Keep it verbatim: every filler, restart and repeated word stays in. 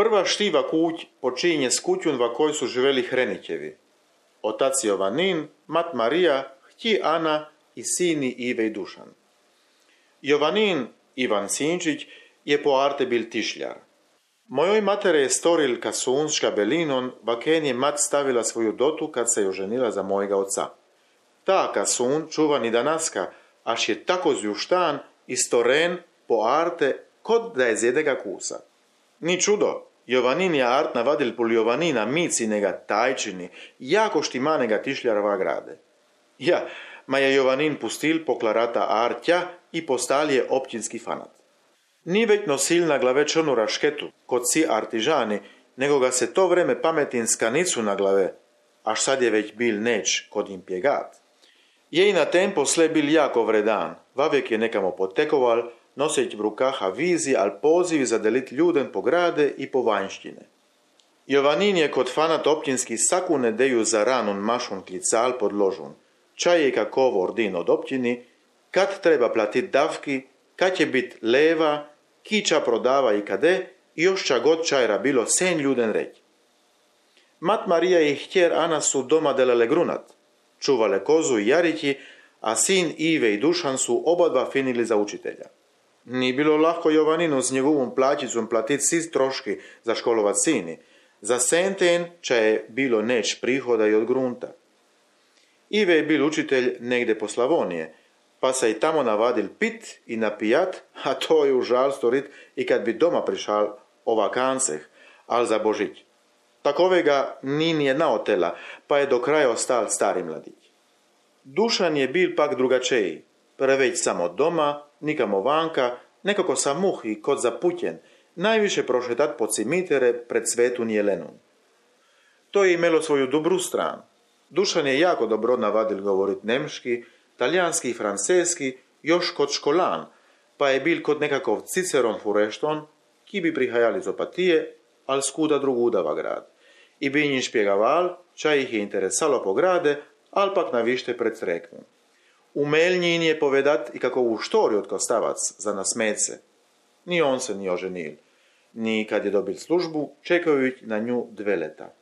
Prva štiva kuć počinje s kućun va kojoj su živeli Hrenićevi. Otac Jovanin, mat Marija, htji Ana i sini Ive i Dušan. Jovanin, Ivan Sinčić, je po arte bil tišljar. Mojoj matere je storil kasun s škabelinon, vaken je mat stavila svoju dotu kad se je oženila za mojega oca. Ta kasun čuva ni danaska, až je tako zjuštan i storen po arte kod da je z jedega kusa. Ni čudo, Jovanin je art navadil pol Jovanina micinega tajčini, jako štimanega tišljarova grade. Ja, ma je Jovanin pustil poklarata artja i postal je općinski fanat. Ni već nosil na glave črnu rašketu, kod si artižani, nego ga se to vreme pametin skanicu na glave, až sad je već bil neč kod im pjegat. Je i na tem posle bil jako vredan, vavek je nekamo potekoval, noseć v rukaha vizi, al poziv za delit ljuden po grade i po vanjštine. Jovanin je kod fanat općinski saku nedeju za ranun mašun klical pod ložun. Čaj je kakovo ordin od općini, kad treba platit davki, kad će bit leva, kiča prodava i kade, i još ča god čajra bilo sen ljuden reći. Mat Marija i htjer Ana su doma delale grunat, čuvale kozu i jarići, a sin Ive i Dušan su oba dva finili za učitelja. Ni bilo lahko Jovaninu s njegovom plaćicom platit svi troški za školovat sini, za senten ča je bilo neč prihoda i od grunta. Ive je bil učitelj negde po Slavonije, pa se i tamo navadil pit i napijat, a to je užal storit i kad bi doma prišal o vakanceh, al za Božić. Takovega ni nijedna otela, pa je do kraja ostal stari mladić. Dušan je bil pak drugačeji, preveć samo doma, nikamo vanka, nekako sa muh i kod zaputjen, najviše prošetat po cimitere pred Svetun Jelenun. To je imelo svoju dobru stranu. Dušan je jako dobro navadil govorit nemški, talijanski i franceski, još kod školan, pa je bil kod nekakov Ciceron furešton, ki bi prihajali z Opatije, al skuda drugudava grad. I bi njih špjegaval, ča ih je interesalo po grade, al pak navište pred Sreknum. Umel njin je povedat i kakovu štoriju od Kostavac za nasmece. Ni on se ni oženil, ni kad je dobil službu, čekajući na nju dve leta.